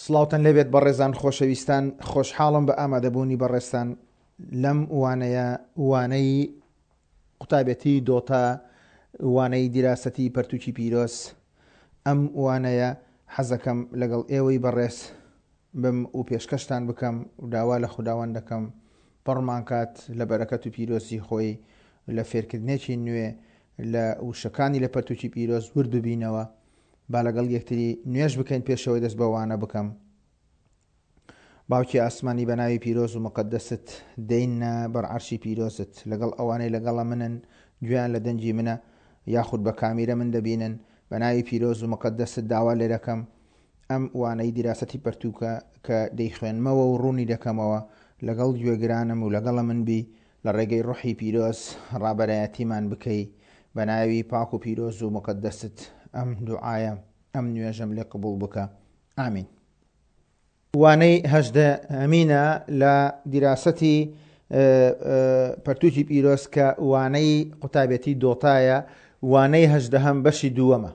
سڵاوتان لێبێت بەڕێزان خۆشەویستان خۆشحاڵم بە ئامادەبوونی بەڕێزتان لەم وانەیە وانەی قوتابێتی دۆتا وانەی دیراسەتی پەرتوکی پیرۆز ئەم وانەیە حەزەکەم لەگەڵ ئێوەی بەڕێز بم و پێشکەشتان بکەم و داوا لە خوداوەند دەکەم پڕمان کات لە بەرەکەت و پیرۆزی خۆی لە فێرکردنێکی نوێ لە وشەکانی لە پەرتوکی پیرۆز ورد ببینەوە با لەگەڵ یەکتری نوێژ بکەین پێشەوەی دەست بە وانە بکەم. باوکی ئاسمانی بە ناوی پیرۆز و مقەدەست دێینە بەر عەرشی پیرۆزت لەگەڵ ئەوانەی لەگەڵە منن گوێیان لە دەنگی منە یاخود بە کامیرە من دەبینن بە ناوی پیرۆز و مقەدەست داوا لێ دەکەم ئەم وانەی دیراسەتی پەرتووکە کە دەیخوێنمەوە و ڕوونی دەکەمەوە لەگەڵ گوێگرانم و لەگەڵە من بی لە ڕێگەی ڕۆحی پیرۆز ڕابەرایەتیمان بکەی بە ناوی پاک و پیرۆز و موقەدەست ئەم دوعایەم ئەم نوێژەم لێ قبوڵ بکە ئامین. وانەی هەژدەهەمینە لە دیراسەتی پەرتوکی پیرۆز کە وانەی قوتابێتی دۆتایە وانەی هەژدەهەم بەشی دووەمە.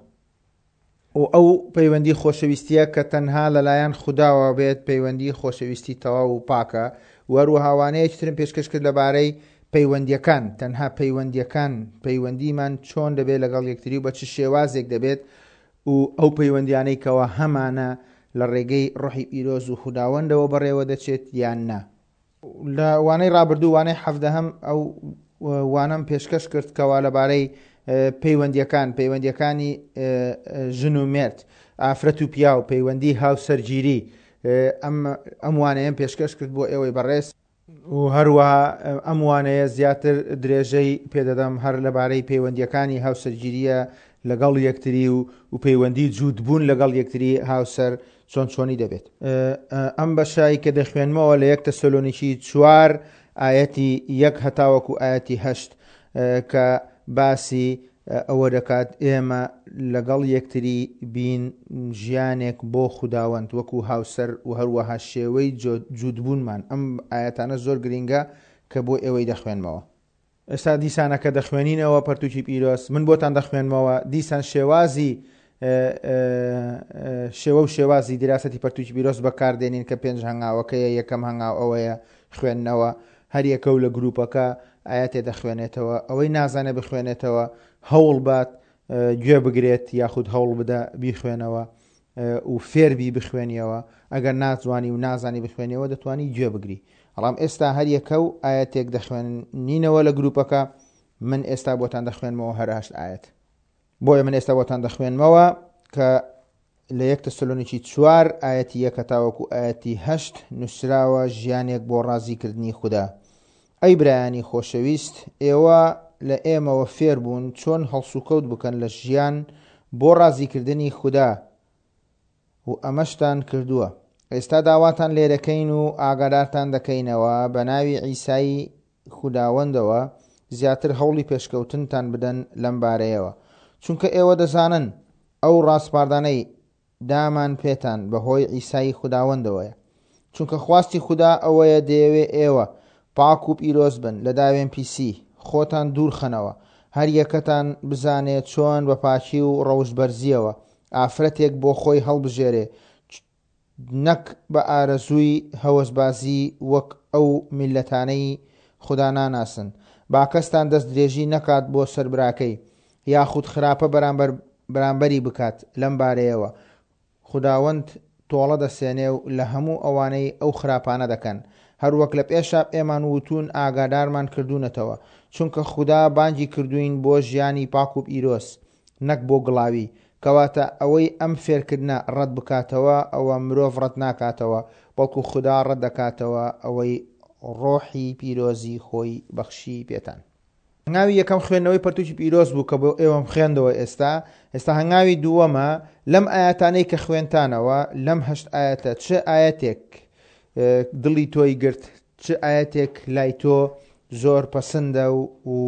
و ئەو پەیوەندی خۆشەویستیە کە تەنها لەلایەن خوداوە بێت پەیوەندی خۆشەویستی تەواو و پاکە و هەروەها وانەیەکی ترم پێشکەش کرد لەبارەی پەیوەندیەکان تەنها پەیوەندیەکان پەیوەندیمان چۆن دەبێت لەگەڵ یەکتری و بە چ شێوازێک دەبێت و ئەو پەیوەندیانەی کەوا هەمانە لە ڕێگەی ڕۆحی پیرۆز و خوداوەندەوە بەڕێوە دەچێت یان نا. لە وانەی ڕابردوو وانەی حەڤدەهەم ئەو وانەم پێشکەش کرد کەوا لەبارەی پەیوەندیەکان پەیوەندیەکانی ژن و مێرد ئافرەت و پیاو پەیوەندی هاوسەرگیری ئەم ئەم وانەیەم پێشکەش کرد بۆ ئێوەی بەڕێز و هەروەها ئەم وانەیە زیاتر درێژەی پێدەدەم هەر لەبارەی پەیوەندیەکانی هاوسەرگیریە لەگەڵ یەکتری و و پەیوەندی جووتبوون لەگەڵ یەکتری هاوسەر چۆن چۆنی دەبێت. ئەم بەشای کە دەخوێنمەوە لە یەک تەسەلۆنیکی چوار ئایەتی یەک هەتاوەکو ئایەتی هەشت کە باسی ئەوە دەکات ئێمە لەگەڵ یەکتری بین ژیانێک بۆ خوداوەند وەکو هاوسەر و هەروەها شێوەی جووتبوونمان ئەم ئایەتانە زۆر گرینگە کە بۆ ئێوەی دەخوێنمەوە. ئێستا دیسانە کە دەخوێنینەوە پەرتوکی پیرۆز من بۆتان دەخوێنمەوە دیسان شێوازی شێوە و شێوازی دیراسەتی پەرتوکی پیرۆز بەکاردێنین کە پێنج هەنگاوەکەیە یەکەم هەنگاو ئەوەیە خوێندنەوە هەریەکە و لە گروپەکە ئاەتێ دەخوێنێتەوە ئەوەی نازانێ بخوێنێتەوە هەوڵ بات گوێ بگرێت یاخود هەوڵ بدە بیخوێنەوە و فێربی بخوێنیەوە ئەگەر ناتوانی و نازانی بخوێنیەوە دەتوانی گوێ بگری بەڵام ئێستا هەر یەکە و ئایەتێک دەخوێنینەوە لە گروپەکە من ئێستا بۆتان دەخوێنمەوە هەر هەشت ئایەت بۆیە من ئێستا بۆتان دەخوێنمەوە کە لە یەک تەسەلۆنیکی چوار ئایەتی یەکە تاوەکو ئایەتی هەشت نووسراوە ژیانێک بۆ ڕازیکردنی خودا ئەی برایانی خۆشەویست ئێوە لە ئێمەوە فێر بوون چۆن هەڵسوکەوت بکەن لە ژیان بۆ ڕازیکردنی خودا و ئەمەشتان کردووە. ئێستا داواتان لێدەکەین و ئاگادارتان دەکەینەوە بە ناوی عیسای خوداوەندەوە زیاتر هەوڵی پێشکەوتنتان بدەن لەم بارەیەوە، چونکە ئێوە دەزانن ئەو ڕاسپاردانەی دامان پێتان بەهۆی عیسای خوداوەندەوەیە. چونکە خواستی خودا ئەوەیە دەیەوێ ئێوە پاک و پیرۆز بن، لە داوێنپیسی خۆتان دوور خەنەوە، هەر یەکەتان بزانێ چۆن بە پاکی و ڕەوشتبەرزییەوە ئافرەتێک بۆ خۆی هەڵبژێرێ، نەک بە ئارەزووی هەوەسبازی وەک ئەو میللەتانەی خودا ناناسن. با کەستان دەست درێژی نەکات بۆ سەر براکەی، یاخود خراپە بەرامبەر بەرامبەری بکات لەم بارەیەوە، خوداوەند تۆڵە دەسێنێ و لە هەموو ئەوانەی ئەو خراپانە دەکەن، هەروەک لە پێشا پێمان وتوون ئاگادارمان کردوونەتەوە، چونکە خودا بانگی کردووین بۆ ژیانی پاک و پیرۆز، نەک بۆ گڵاوی، کەواتە ئەوەی ئەم فێرکردنە ڕەت بکاتەوە، ئەوە مرۆڤ ڕەت ناکاتەوە، بەڵکو خودا ڕەت دەکاتەوە ئەوەی ڕۆحی پیرۆزی خۆی بەخشی پێتان. هەنگاوی یەکەم خوێندنەوەی پەرتوکی پیرۆز بوو کە بۆ ئێوەم خوێندەوە ئێستا ئێستا هەنگاوی دووەمە لەم ئاەتانەی کە خوێنتانەوە لەم هەشت ئاەتە چ ئاەتێک دڵی تۆی گرت چ ئاەتێک لای تۆ زۆر پەسەندە و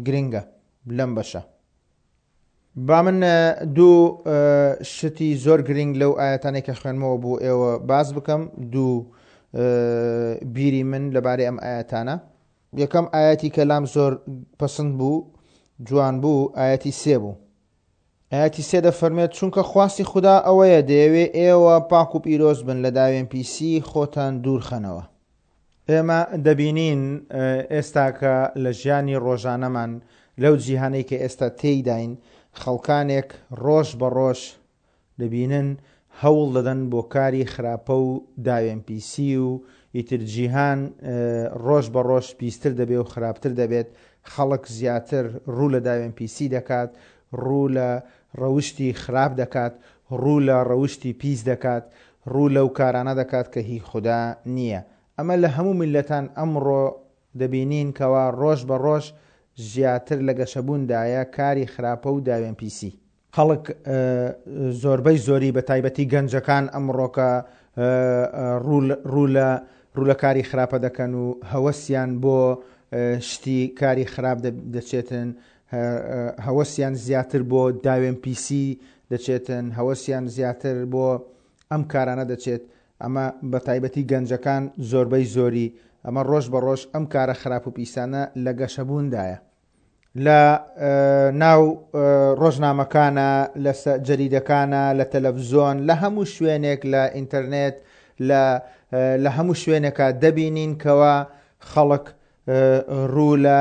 گرنگە لەم بەشە با من دوو شتی زۆر گرنگ لەو ئاەتانەی کە خوێنمەوە بۆ ئێوە باس بکەم دوو بیری من لەبارەی ئەم ئاەتانە یەکەم ئایەتی کە لام زۆر پەسند بوو جوان بوو ئایەتی سێ بوو. ئایەتی سێ دەفەرموێت، چونکە خواستی خودا ئەوەیە دەیەوێ ئێوە پاک و پیرۆز بن، لە داوێنپیسی خۆتان دوور خەنەوە. ئێمە دەبینین ئێستاکە لە ژیانی ڕۆژانەمان، لەو جیهانەی کە ئێستا تێیداین، خەڵکانێک ڕۆژ بە ڕۆژ دەبینن هەوڵ دەدەن بۆ کاری خراپە و داوێنپیسی و ئیتر جیهان ڕۆژ بە ڕۆژ پیستر دەبێ و خراپتر دەبێت، خەڵک زیاتر ڕوو لە داوێنپیسی دەکات، ڕوو لە ڕەوشتی خراپ دەکات، ڕوو لە ڕەوشتی پیس دەکات، ڕوو لەو کارانە دەکات کە هی خودا نییە. ئەمە لە هەموو میللەتان ئەمڕۆ دەبینین کەوا ڕۆژ بە ڕۆژ زیاتر لە گەشەبووندایە کاری خراپە و داوێنپیسی. خەڵک زۆربەی زۆری بە تایبەتی گەنجەکان ئەمڕۆکە ڕوو لە ڕوو لە کاری خراپە دەکەن و هەوەسیان بۆ شتی کاری خراپ دەچێتن هەوەسیان زیاتر بۆ داوێن پیسی دەچێتن هەوەسیان زیاتر بۆ ئەم کارانە دەچێت ئەمە بە تایبەتی گەنجەکان زۆربەی زۆری ئەمە ڕۆژ بە ڕۆژ ئەم کارە خراپ و پیسانە لە گەشەبووندایە لە ناو ڕۆژنامەکانە لە جەریدەکانە لە تەلەفزۆن لە هەموو شوێنێک لە ئینتەرنێت لە لە هەموو شوێنێکا دەبینین کەوا خەڵک ڕوو لە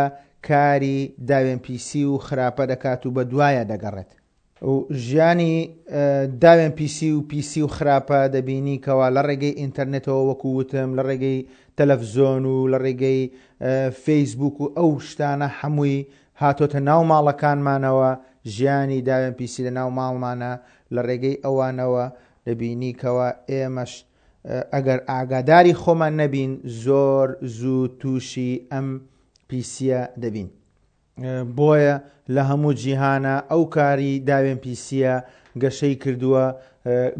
کاری داوێنپیسی و خراپە دەکات و بە دوایە دەگەڕێت. و ژیانی داوێن پیسی و پیسی و خراپە دەبینی کەوا لە ڕێگەی ئینتەرنێتەوە وەکو وتم لە ڕێگەی تەلەفزۆن و لە ڕێگەی فەیسبوک و ئەو شتانە هەمووی هاتۆتە ناو ماڵەکانمانەوە ژیانی داوێن پیسی لە ناو ماڵمانە لە ڕێگەی ئەوانەوە دەبینی کەوا ئێمەش ئەگەر ئاگاداری خۆمان نەبین زۆر زوو تووشی ئەم پیسیە دەبین. بۆیە لە هەموو جیهانا ئەو کاری داوێن پیسیە گەشەی کردووە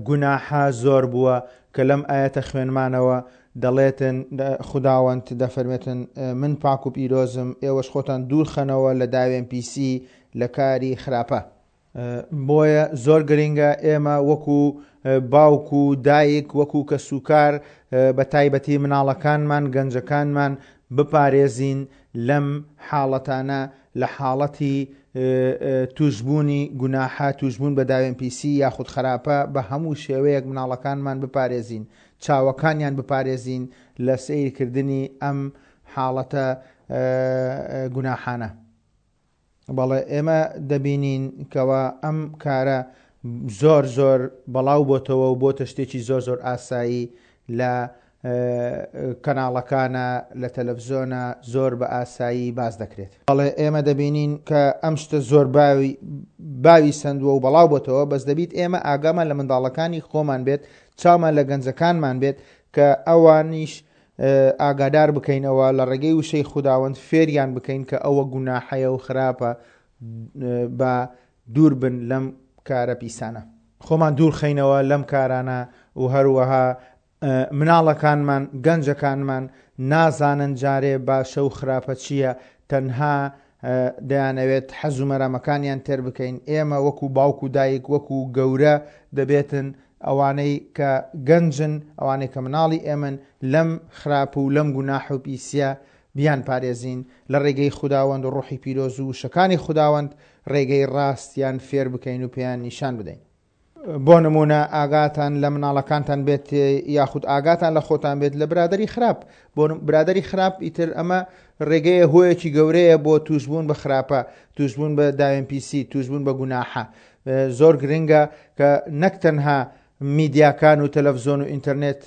گوناحە زۆر بووە کە لەم ئایەتە خوێنمانەوە دەڵێتن خوداوەند دەفەرمێتن من پاک و پیرۆزم ئێوەش خۆتان دوور خەنەوە لە داوێن پیسی لە کاری خراپە. بۆیە زۆر گرینگە ئێمە وەکو باوک و دایک وەکو کەسوکار بە تایبەتی مناڵەکانمان گەنجەکانمان بپارێزین لەم حاڵەتانە لە حاڵەتی توشببوونی گوناحە توشببوون بە داوێن پیسی یاخود خراپە بە هەموو شێوەیەک مناڵەکانمان بپارێزین چاوەکانیان بپارێزین لە سەیرکردنی ئەم حاڵەتە گوناحانە. بەڵێ ئێمە دەبینین کەوا ئەم کارە زۆر زۆر بەڵاو بۆتەوە و بۆتە شتێکی زۆر زۆر ئاسایی لە کەناڵەکانە لە تەلەفزۆنە زۆر بە ئاسایی باس دەکرێت. بەڵێ ئێمە دەبینین کە ئەم شتە زۆر باوی باوی سەندووە و بەڵاو بۆتەوە بەس دەبیت ئێمە ئاگامان لە منداڵەکانی خۆمان بێت چاومان لە گەنجەکانمان بێت کە ئەوانیش ئاگادار بکەینەوە لە ڕێگەی وشەی خوداوەند فێریان بکەین کە ئەوە گوناحەیە و خراپە با دوور بن لەم کارە پیسانە. خۆمان دوور خەینەوە لەم کارانە و هەروەها مناڵەکانمان گەنجەکانمان نازانن جارێ باشە و خراپە چییە تەنها دەیانەوێت حەز و مەرامەکانیان تێر بکەین ئێمە وەکو باوک و دایک وەکو گەورە دەبێتن ئەوانەی کە گەنجن، ئەوانەی کە مناڵی ئێمەن، لەم خراپ و لەم گوناح و پیسیە بیانپارێزین، لە ڕێگەی خوداوەند و ڕۆحی پیرۆز و وشەکانی خوداوەند ڕێگەی ڕاستیان فێر بکەین و پێیان نیشان بدەین. بۆ نموونە ئاگاتان لە مناڵەکانتان بێت یاخود ئاگاتان لە خۆتان بێت لە برادەری خراپ، بۆ برادەری خراپ ئیتر ئەمە ڕێگەیە هۆیەکی گەورەیە بۆ تووشبوون بە خراپە، تووشبوون بە داوێن پیسی، تووشبوون بە گوناحە. زۆر گرنگە کە نەک تەنها میدیاکان و تەلەفزۆن و ئینتەرنێت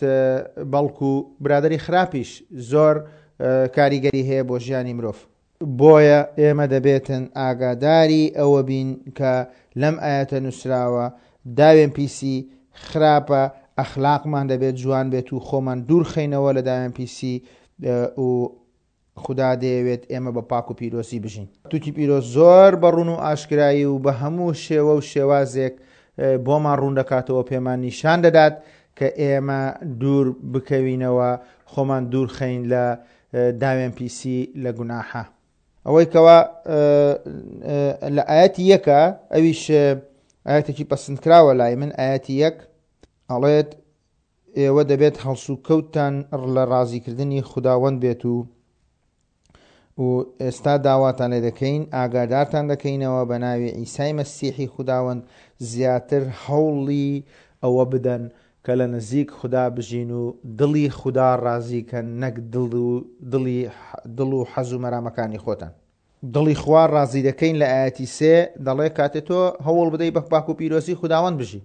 بەڵکو برادری خراپیش زۆر کاریگەری هەیە بۆ ژیانی مرۆڤ. بۆیە ئێمە دەبێتن ئاگاداری ئەوە بین کە لەم ئایەتە نووسراوە داوێن پیسی خراپە ئەخلاقمان دەبێت جوان بێت و خۆمان دوورخەینەوە لە داوێن پیسی و خودا دەیەوێت ئێمە بە پاک و پیرۆزی بژین. پەرتوکی پیرۆز زۆر بە ڕوون و ئاشکرایی و بە هەموو شێوە و شێوازێک بۆمان ڕوون دەکاتەوە پێمان نیشان دەدات کە ئێمە دوور بکەوینەوە خۆمان دوور خەین لە داوێن پیسی لە گوناحە. ئەوەی کەوا لە ئاەتی یەکە ئەویش ئاەتێکی پەسندکراوە لای من ئاەتی یەک ئەڵێت ئێوە دەبێت هەڵسوکەوتتان لە ڕازیکردنی خوداوەند بێت و و ئێستا داواتان لێ دەکەین، ئاگادارتان دەکەینەوە بە ناوی عیسای مەسیحی خوداوەند زیاتر هەوڵی ئەوە بدەن کە لە نزیک خودا بژین و دڵی خودا ڕازی کەن نەک دڵ و دڵی دڵ و حەز و مەرامەکانی خۆتان. دڵی خوا ڕازی دەکەین لە ئایەتی سێ دەڵێ کاتێ تۆ هەوڵ بدەی بە پاک و پیرۆزی خوداوەند بژی.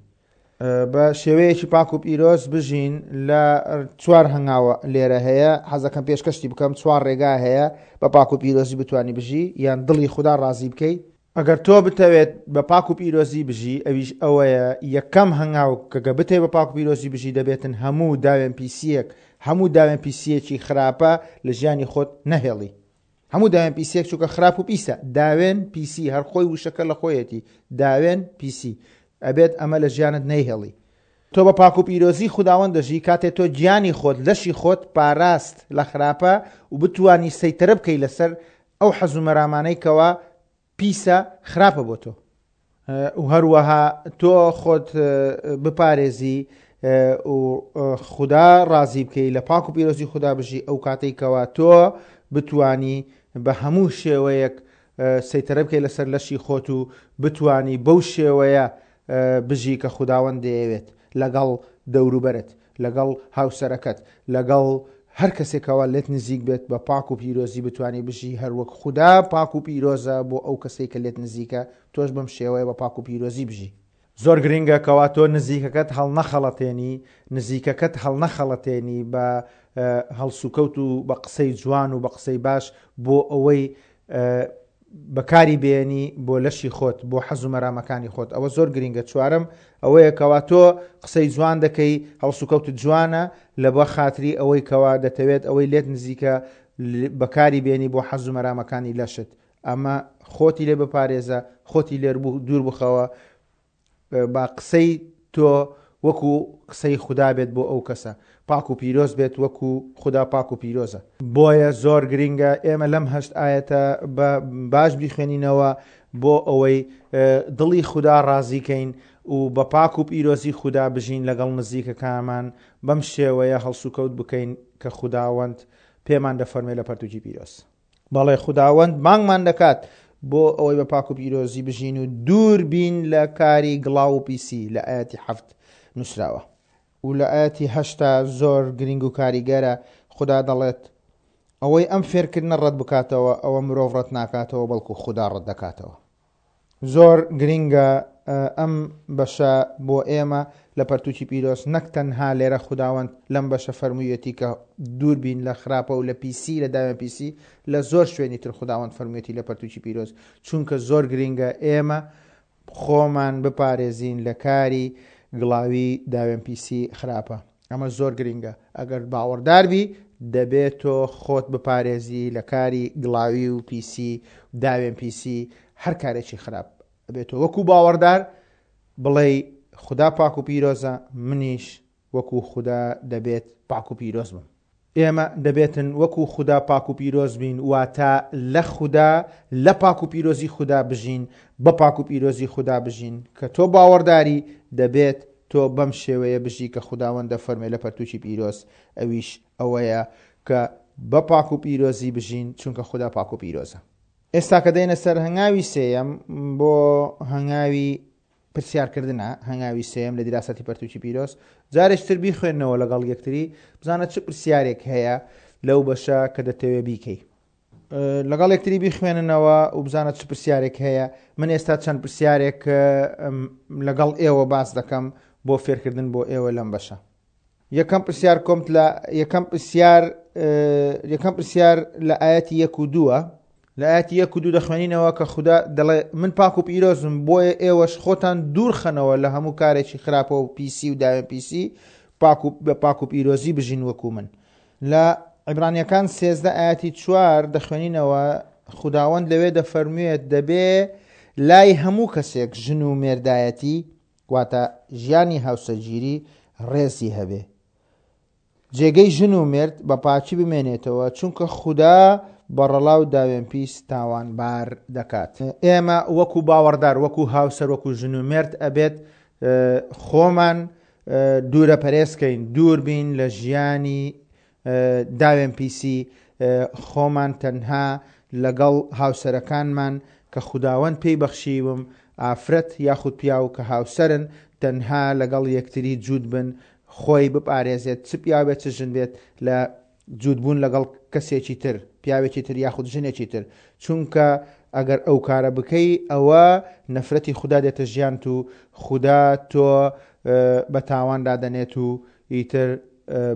بە شێوەیەکی پاک و پیرۆز بژین لە چوار هەنگاوە لێرە هەیە حەزەکەم پێشکەشتی بکەم چوار ڕێگا هەیە بە پاک و پیرۆزی بتانی بژی یان دڵی خودا ڕازی بکەی ئەگەر تۆ بتەوێت بە پاک و پیرۆزی بژی ئەویش ئەوەیە یەکەم هەنگاو کە گە بتەوێت بە پاک و پیرۆزی بژی دەبێتن هەموو داوێن پیسیەک هەموو داوێن پیسیەکی خراپە لە ژیانی خۆت نەهێڵی هەموو داوێن پیسیەک چونکە خراپ و پیسە داوێن پیسی هەر خۆی وشەکە لە خۆیەتی داوێن پیسی ئەبێت ئەمە لە ژیانت نەیهێڵی. تۆ بە پاک و پیرۆزی خوداوەند دەژی کاتێ تۆ گیانی خۆت لەشی خۆت پاراست لە خراپە و بتوانی سەیتەرە بکەی لەسەر ئەو حەز و مەرامانەی کەوا پیسە خراپە بۆ تۆ و هەروەها تۆ خۆت بپارێزی و خودا ڕازی بکەی لە پاک و پیرۆزی خودا بژی ئەو کاتەی کەوا تۆ بتانی بە هەموو شێوەیەک سەیتەرە بکەی لەسەر لەشی خۆت و بتانی بەو شێوەیە بژی کە خوداوەند دەیەوێت لەگەڵ دەوروبەرت لەگەڵ هاوسەرەکەت لەگەڵ هەر کەسێکەوە لێت نزیک بێت بە پاک و پیرۆزی بتانی بژی هەروەک خودا پاک و پیرۆزە بۆ ئەو کەسەی کە لێت نزیکە تۆش بەم شێوەیە بە پاک و پیرۆزی بژی. زۆر گرینگە کەوا تۆ نزیکەکەت هەڵنەخەڵەتێنی نزیکەکەت هەڵنەخەڵەتێنی بە هەڵسوکەوت و بە قسەی جوان و بە قسەی باش بۆ ئەوەی بەکاری بێنی بۆ لەشی خۆت بۆ حەز و مەرامەکانی خۆت ئەوە زۆر گرینگە چوارەم ئەوەیە کەوا تۆ قسەی جوان دەکەی هەڵسوکەوتت جوانە لە بە خاتری ئەوەی کەوا دەتەوێت ئەوەی لێت نزیکە بەکاری بێنی بۆ حەز و مەرامەکانی لەشت ئەمە خۆتی لێ بپارێزە خۆتی لێر دوور بخەوە با قسەی تۆ وەکو قسەی خودا بێت بۆ ئەو کەسە، پاک و پیرۆز بێت وەکو خودا پاک و پیرۆزە. بۆیە زۆر گرینگە ئێمە لەم هەشت ئایەتە بە باش بیخوێنینەوە بۆ ئەوەی دڵی خودا ڕازی کەین و بە پاک و پیرۆزی خودا بژین لەگەڵ نزیکەکانمان بەم شێوەیە هەڵسوکەوت بکەین کە خوداوەند پێمان دەفەرمێ لە پەرتوکی پیرۆز. بەڵێ خوداوەند بانگمان دەکات بۆ ئەوەی بە پاک و پیرۆزی بژین و دوور بین لە کاری گڵاو و پیسی لە ئاەتی حەفت نووسراوە و لە ئاەتی هەشتا زۆر گرنگ و کاریگەرە خودا دەڵێت ئەوەی ئەم فێرکردنە ڕەت بکاتەوە ئەوە مرۆڤ ڕەت ناکاتەوە بەڵکو خودا ڕەت دەکاتەوە. زۆر گرینگە ئەم بەشە بۆ ئێمە لە پەرتوکی پیرۆز نەک تەنها لێرە خوداوەند لەم بەشە فەرموویەتی کە دوور بین لە خراپە و لە پیسی لە داوێن پیسی لە زۆر شوێنی تر خوداوەند فەرموویەتی لە پەرتوکی پیرۆز چونکە زۆر گرینگە ئێمە خۆمان بپارێزین لە کاری گڵاوی داوێن پیسی خراپە ئەمە زۆر گرینگە ئەگەر باوەڕدار بی دەبێت تۆ خۆت بپارێزی لە کاری گڵاوی و پیسی داوێن پیسی هەر کارێکی خراپ ئەبێت تۆ وەکو باوەڕدار بڵێی خودا پاک و پیرۆزە منیش وەکو خودا دەبێت پاک و پیرۆز بم. ئێمە دەبێتن وەکو خودا پاک و پیرۆز بین، واتە لە خودا، لە پاک و پیرۆزی خودا بژین، بە پاک و پیرۆزی خودا بژین. کە تۆ باوەڕداری، دەبێت تۆ بەم شێوەیە بژی کە خوداوەند دەفەرموێ لە پەرتووکی پیرۆز، ئەویش ئەوەیە کە بە پاک و پیرۆزی بژین، چونکە خودا پاک و پیرۆزە. ئێستا کە دێینە سەر هەنگاوی سێیەم، بۆ هەنگاوی پرسیارکردنە، هەنگاوی سێیەم لە دیراسەتی پەرتوکی پیرۆز، جارێکی تر بیخوێنەوە لەگەڵ یەکتری، بزانە چ پرسیارێک هەیە لەو بەشە کە دەتەوێ بیکەی. لەگەڵ یەکتری بیخوێننەوە و بزانە چ پرسیارێک هەیە. من ئێستا چەند پرسیارێک لەگەڵ ئێوە باس دەکەم بۆ فێرکردن بۆ ئێوە لەم بەشە. یەکەم پرسیار کۆمت لە یەکەم پرسیار یەکەم پرسیار لە ئاەتی یەک و دووە لە ئاەتی یەک و دوو دەخوێنینەوە کە خودا دەڵێ من پاک و پیرۆزم بۆیە ئێوەش خۆتان دوور خەنەوە لە هەموو کارێکی خراپە و پیسی و داوێن پیسی پاک و بە پاک و پیرۆزی بژین وەکو من لە عیبرانیەکان سێزدە ئاەتی چوار دەخوێنینەوە خوداوەند لەوێ دەفەرموێت دەبێ لای هەموو کەسێک ژن و مێردایەتی واتە ژیانی هاوسەرگیری ڕێزی هەبێ. جێگەی ژن و مێرد بە پاکی بمێنێتەوە، چونکە خودا بەڕەڵا و داوێنپیس تاوانبار دەکات. ئێمە وەکو باوەڕدار، وەکو هاوسەر، وەکو ژن و مێرد ئەبێت خۆمان دوورە پەرێز کەین، دوور بین لە ژیانی داوێن پیسی، خۆمان تەنها لەگەڵ هاوسەرەکانمان کە خوداوەند پێی بەخشیوم ئافرەت یاخود پیاو کە هاوسەرن تەنها لەگەڵ یەکتری جووت بن خۆی بپارێزێت چ پیاو بێت چ ژن بێت لە جووت بوون لەگەڵ کەسێکی تر پیاوێکی تر یاخود ژنێکی تر چونکە ئەگەر ئەو کارە بکەی ئەوە نەفرەتی خودا دێتە ژیانت و خودا تۆ بە تاوان دادەنێت و ئیتر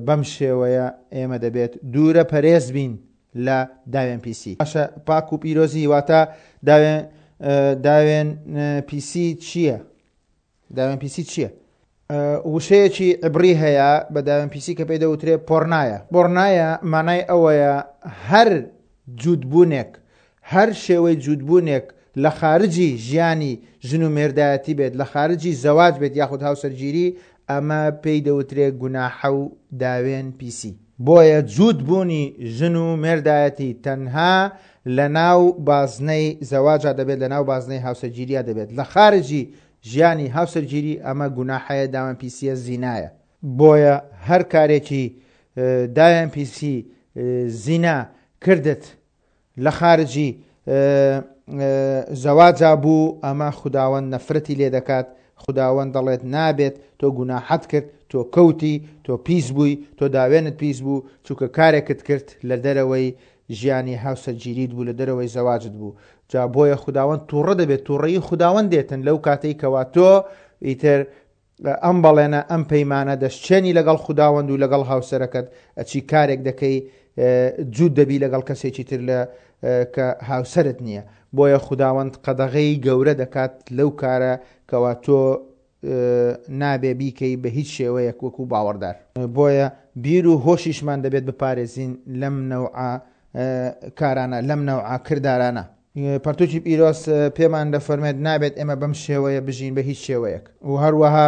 بەم شێوەیە ئێمە دەبێت دوورە پەرێز بین لە داوێن پیسی. باشە پاک و پیرۆزی واتە داوێن داوێن پیسی چییە؟ داوێن پیسی چییە؟ وشەیەکی عبری هەیە بە داوێن پیسی کە پێی دەوترێ پۆرنایە. پۆرنایە مانای ئەوەیە هەر جووتبوونێک، هەر شێوەی جووتبوونێک لە خارجی ژیانی ژن و مێردایەتی بێت، لە خارجی زەواج بێت یاخود هاوسەرگیری، ئەمە پێی دەوترێ گوناحە و داوێن پیسی. بۆیە جووت بوونی ژن و مێردایەتی تەنها لە ناو بازنەی زەواجا دەبێت لە ناو بازنەی هاوسەرگیریا دەبێت لە خارجی ژیانی هاوسەرگیری ئەمە گوناحەیە داوێن پیسیە زینایە. بۆیە هەر کارێکی داوێن پیسی زینا کردت لە خارجی زەواجا بوو ئەمە خوداوەند نەفرەتی لێ دەکات خوداوەند دەڵێت نابێت تۆ گوناحەت کرد تۆ کەوتی تۆ پیس بووی تۆ داوێنت پیس بوو چونکە کارێکت کرد لە دەرەوەی ژیانی هاوسەرگیریت بوو لە دەرەوەی زەواجت بوو جا بۆیە خوداوەند تووڕە دەبێت تووڕەیی خوداوەند دێتن لەو کاتەی کەوا تۆ ئیتر ئەم بەڵێنە، ئەم پەیمانە دەشچێنی لەگەڵ خوداوەند و لەگەڵ هاوسەرەکەت، ئەچی کارێک دەکەی جووت دەبی لەگەڵ کەسێکی تر لە کە هاوسەرت نییە. بۆیە خوداوەند قەدەغەی گەورە دەکات لەو کارە کەوا تۆ نابێ بیکەی بە هیچ شێوەیەک وەکو باوەڕدار. بۆیە بیر و هۆشیشمان دەبێت بپارێزین لەم نەوعە کارانە، لەم نەوعە کردارانە. پەرتوکی پیرۆز پێمان دەفەرمێت نابێت ئێمە بەم شێوەیە بژین بە هیچ شێوەیەک و هەروەها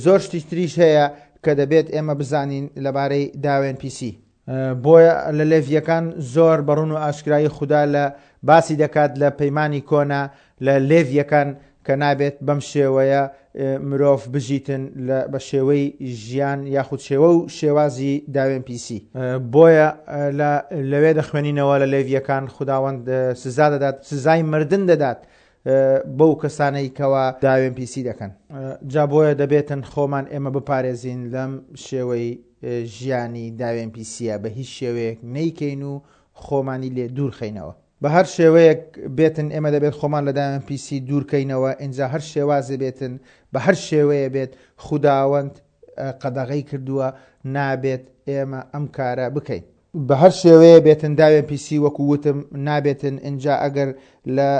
زۆر شتی تریش هەیە کە دەبێت ئێمە بزانین لەبارەی داوێن پیسی. بۆیە لە لێڤیەکان زۆر بەڕون و ئاشکرایی خودا لە باسی دەکات لە پەیمانی کۆنا لە لێڤیەکان کە نابێت بەم شێوەیە مرۆڤ بژیتن لە بە شێوەی ژیان یاخود شێوە و شێوازی داوێن پیسی. بۆیە لە لەوێ دەخوێنینەوە لە لێڤیەکان خوداوەند سزا دەدات سزای مردن دەدات بەو کەسانەی کەوا داوێن پیسی دەکەن. جا بۆیە دەبێتن خۆمان ئێمە بپارێزین لەم شێوەی ژیانی داوێن پیسیە بە هیچ شێوەیەک نەیکەین و خۆمانی لێ دوور خەینەوە. بە هەر شێوەیەک بێتن ئێمە دەبێت خۆمان لە داوێن پیسی دوور کەینەوە ئینجا هەر شێوازێ بێتن بە هەر شێوەیە بێت خوداوەند قەدەغەی کردووە نابێت ئێمە ئەم کارە بکەین. بە هەر شێوەیە بێتن داوێن پیسی وەکو وتم نابێتن ئینجا ئەگەر لە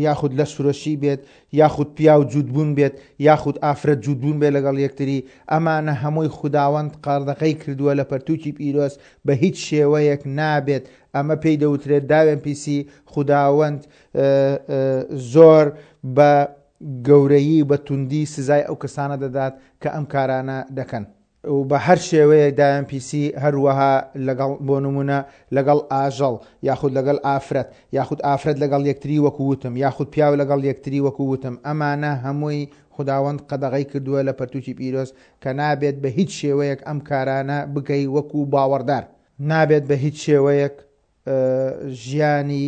یاخود لەشفرۆشی بێت یاخود پیاو جووتبوون بێت یاخود ئافرەت جووتبوون بێت لەگەڵ یەکتری ئەمانە هەمووی خوداوەند قەدەغەی کردووە لە پەرتووکی پیرۆز بە هیچ شێوەیەک نابێت ئەمە پێی دەوترێت داوێن پیسی، خوداوەند زۆر بە گەورەیی و بە توندی سزای ئەو کەسانە دەدات کە ئەم کارانە دەکەن. و بە هەر شێوەیەک داوێن پیسی هەروەها لەگەڵ بۆ نمونە لەگەڵ ئاژەڵ یاخود لەگەڵ ئافرەت یاخود ئافرەت لەگەڵ یەکتری وەکو وتم یاخود پیاو لەگەڵ یەکتری وەکو وتم ئەمانە هەمووی خوداوەند قەدەغەی کردووە لە پەرتوکی پیرۆز کە نابێت بە هیچ شێوەیەک ئەم کارانە بکەی وەکو باوەڕدار. نابێت بە هیچ شێوەیەک ژیانی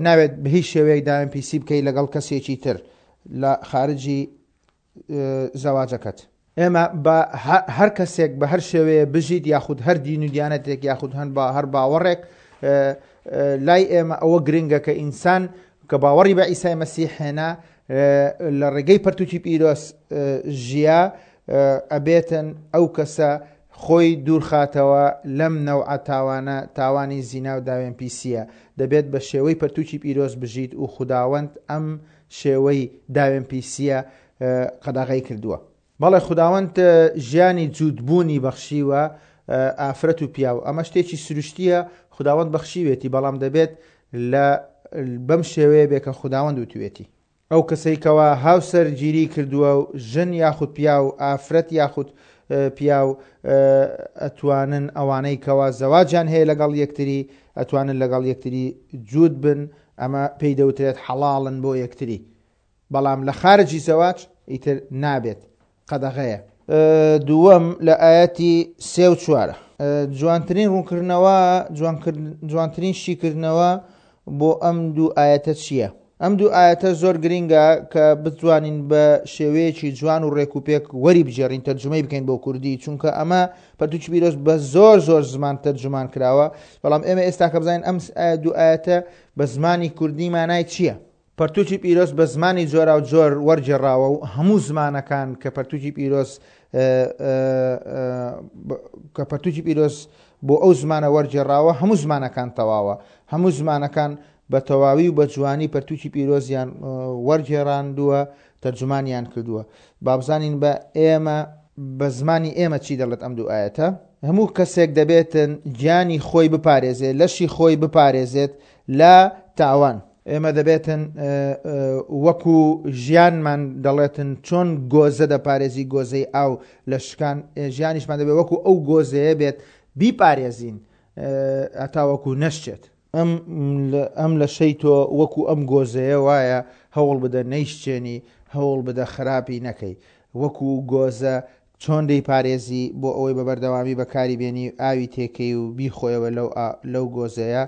نابێت بە هیچ شێوەیەک داوێن پیسی بکەی لەگەڵ کەسێکی تر لە خارجی زەواجەکەت. ئێمە بە هەر کەسێک بە هەر شێوەیە بژیت یاخود هەر دین و دیانەتێک یاخود هەن بە هەر باوەڕێک لای ئێمە ئەوە گرنگە کە ئینسان کە باوەڕی بە ئیسای مەسیح هێنا لە ڕێگەی پەرتوکی پیرۆز ژیا ئەبێتن ئەو کەسە خۆی دوورخاتەوە لەم نەوعە تاوانە، تاوانی زینا و داوێن پیسیە، دەبێت بە شێوەی پەرتوکی پیرۆز بژیت و خوداوەند ئەم شێوەی داوێن پیسیە قەدەغەی کردووە. بەڵێ خوداوەند ژیانی جووت بوونی بەخشیوە ئافرەت و پیاو، ئەمە شتێکی سروشتیە خوداوەند بەخشیوێتی، بەڵام دەبێت لە بەم شێوەیە بێ کە خوداوەند وتوێتی. ئەو کەسەی کەوا هاوسەر گیری کردووە و ژن یاخود پیاو ئافرەت یاخود پیاو ئەتوانن ئەوانەی کەوا زەواجیان هەیە لەگەڵ یەکتری ئەتوانن لەگەڵ یەکتری جووت بن ئەمە پێی دەوترێت حەڵاڵن بۆ یەکتری بەڵام لە خارجی زەواج ئیتر نابێت قەدەغەیە. دووەم لە ئایەتی سێ و چوارە. جوانترین ڕوونکردنەوە، جوانترین شیکردنەوە بۆ ئەم دوو ئایەتە چییە؟ ئەم دوو ئایەتە زۆر گرینگە کە بتوانین بە شێوەیەکی جوان و ڕێک و پێک وەری بگێڕین تەرجومەی بکەین بۆ کوردی چونکە ئەمە پەرتوکی پیرۆز بە زۆر زۆر زمان تەرجومان کراوە بەڵام ئێمە ئێستا کە بزانین ئەم دوو ئایەتە بە زمانی کوردی مانای چییە؟ پەرتوکی پیرۆز بە زمانی جۆراو جۆر وەرگێڕاوە و هەموو زمانەکان کە پەرتوکی پیرۆز کە پەرتوکی پیرۆز بۆ ئەو زمانە وەرگێڕاوە هەموو زمانەکان تەواوە هەموو زمانەکان بە تەواوی و بە جوانی پەرتوکی پیرۆزیان وەرگێڕاندووە تەرجومانیان کردووە بابزانین بە ئێمە بە زمانی ئێمە چی دەڵێت ئەم دوو ئاەتە هەموو کەسێک دەبێتن گیانی خۆی بپارێزێت لەشی خۆی بپارێزێت لە تاوان. ئێمە دەبێتن وەکو ژیانمان دەڵێتن چۆن گۆزە دەپارێزی گۆزەی ئاو لە شکان ژیانیشمان دەبێت وەکو ئەو گۆزەیە بێت بیپارێزین هەتاوەکو نەشچێت. ئەم ئەم لەشەی تۆ وەکو ئەم گۆزەیە وایە هەوڵ بدە نەیشچێنی هەوڵ بدە خراپی نەکەی وەکو گۆزە چۆن دەیپارێزی بۆ ئەوەی بە بەردەوامی بەکاری بێنی ئاوی تێکەی و بیخۆیەوە لەو لەو گۆزەیە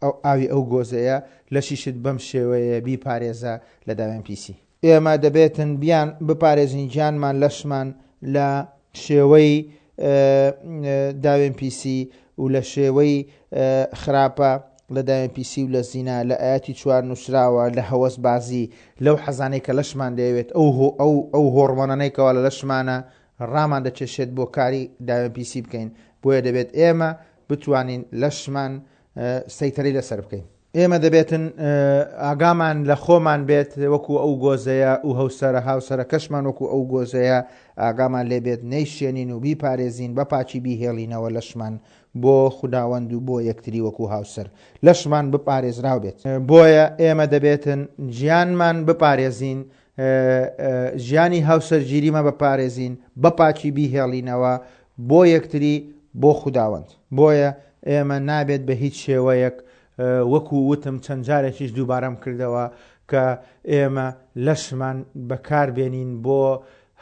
ئەو ئاوی ئەو گۆزەیە لەشیشت بەم شێوەیە بیپارێزە لە داوێن پیسی. ئێمە دەبێتن بیان بپارێزین گیانمان لەشمان لە شێوەی داوێن پیسی و لە شێوەی خراپە لە داوێن پیسی و لە زینا لە ئایەتی چوار نووسراوە لە هەوەس بازی لەو حەزانەی کە لەشمان دەیەوێت ئەو ئەو ئەو هۆڕمۆنانەی کەوا لە لەشمانە ڕامان دەکێشێت بۆ کاری داوێن پیسی بکەین بۆیە دەبێت ئێمە بتوانین لەشمان سەیتەرەی لەسەر بکەین. ئێمە دەبێتن ئاگامان لە خۆمان بێت وەکو ئەو گۆزەیە و هەوسەرە هاوسەرەکەشمان وەکو ئەو گۆزەیە ئاگامان لێ بێت نەیشێنین و بیپارێزین بە پاکی بیهێڵینەوە لەشمان بۆ خوداوەند و بۆ یەکتری وەکو هاوسەر لەشمان بپارێزراو بێت. بۆیە ئێمە دەبێتن گیانمان بپارێزین ژیانی هاوسەرگیریمان بپارێزین بە پاکی بیهێڵینەوە بۆ یەکتری بۆ خوداوەند. بۆیە ئێمە نابێت بە هیچ شێوەیەک وەکو وتم چەند جارێکیش دووبارەم کردەوە کە ئێمە لەشمان بەکار بێنین بۆ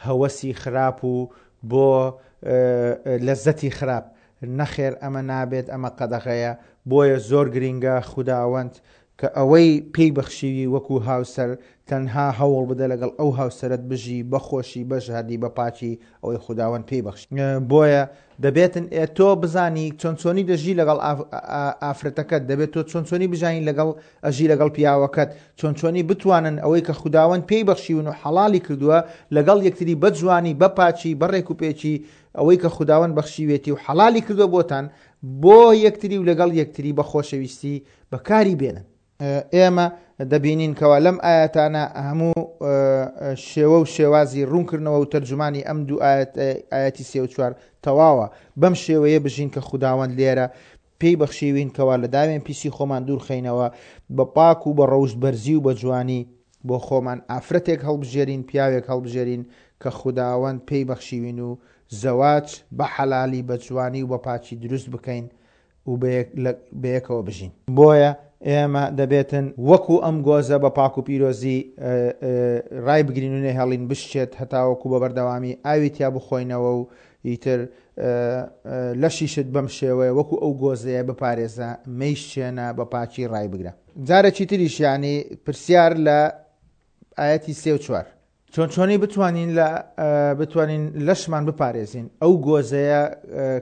هەوەسی خراپ و بۆ لەزەتی خراپ نەخێر ئەمە نابێت ئەمە قەدەغەیە بۆیە زۆر گرینگە خوداوەند کە ئەوەی پێی بەخشیوی وەکو هاوسەر تەنها هەوڵ بدە لەگەڵ ئەو هاوسەرەت بژی بە خۆشی بە ژادی بە پاکی ئەوەی خوداوەند پێی بەخشی بۆیە دەبێتن ئێ تۆ بزانی چۆن چۆنی دەژی لەگەڵ ئافرەتەکەت دەبێت تۆ چۆن چۆنی بژانی لەگەڵ ئەژی لەگەڵ پیاوەکەت چۆن چۆنی بتوانن ئەوەی کە خوداوەند پێی بەخشیون و حەڵالی کردووە لەگەڵ یەکتری بە جوانی بە پاکی بە ڕێک و پێکی ئەوەی کە خوداوەند بەخشیوێتی و حەڵالی کردووە بۆتان بۆ یەکتری و لەگەڵ یەکتری بە خۆشەویستی بەکاری بێنن. ئێمە دەبینین کەوا لەم ئایەتانە هەموو شێوە و شێوازی ڕوونکردنەوە و تەرجومانی ئەم دوو ئایەتی سێ و چوار تەواوە بەم شێوەیە بژین کە خوداوەند لێرە پێی بەخشیوین کەوا لە داوێن پیسی خۆمان دوورخەینەوە بە پاک و بە ڕەوشت بەرزی و بە جوانی بۆ خۆمان ئافرەتێک هەڵبژێرین پیاوێک هەڵبژێرین کە خوداوەند پێی بەخشیوین و زەواج بە حەلالی بە جوانی و بە پاکی دروست بکەین و بەیەکەوە بژین. بۆیە ئێمە دەبێتن وەکو ئەم گۆزە بە پاک و پیرۆزی ڕایبگرین و نەهێڵین بشچێت هەتاوەکو بە بەردەوامی ئاوی تیا بخۆینەوە و ئیتر لەشیشت بەم شێوەیە وەکو ئەو گۆزەیە بپارێزە مەیشچێنە بە پاکی ڕایبگرە. جارێکی تریش یانی پرسیار لە ئایەتی سێ و چوار. چۆن چۆنی بتوانین لە بتوانین لەشمان بپارێزین ئەو گۆزەیە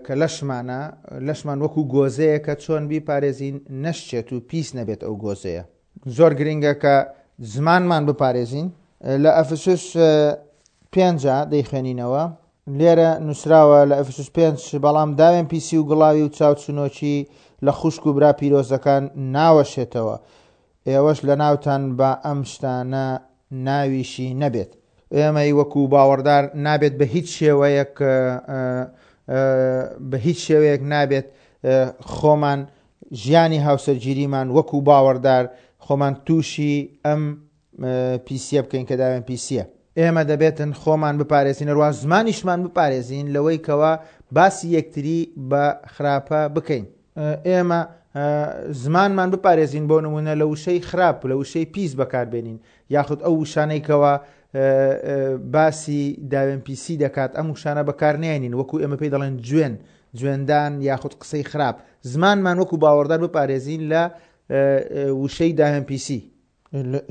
کە لەشمانە لەشمان وەکو گۆزەیە کە چۆن بیپارێزین نەشچێت و پیس نەبێت ئەو گۆزەیە زۆر گرنگە کە زمانمان بپارێزین لە ئەفسوس پێنجە دەیخوێنینەوە لێرە نووسراوە لە ئەفسوس پێنج بەڵام داوێن پیسی و گڵاوی و چاوچنۆکی لە خوشک و برا پیرۆزەکان ناوەشێتەوە ئێوەش لەناوتان با ئەم شتانە ناویشی نەبێت. ئێمەی وەکو باوەڕدار نابێت بە هیچ شێوەیەک بە هیچ شێوەیەک نابێت خۆمان ژیانی هاوسەرگیریمان وەکو باوەڕدار خۆمان تووشی ئەم پیسیە بکەین کە داوێن پیسیە. ئێمە دەبێتن خۆمان بپارێزین هەروا زمانیشمان بپارێزین لەوەی کەوا باسی یەکتری بە خراپە بکەین. ئێمە زمانمان بپارێزین بۆ نمونە لە وشەی خراپ لە وشەی پیس بەکاربێنین یاخود ئەو وشانەی کەوا باسی داوێن پیسی دەکات ئەم وشانە بەکارنێنین وەکو ئێمە پێی دەڵێن جوێن جوێندان یاخود قسەی خراپ زمانمان وەکو باوەڕدار بپارێزین لە وشەی داوێن پیسی.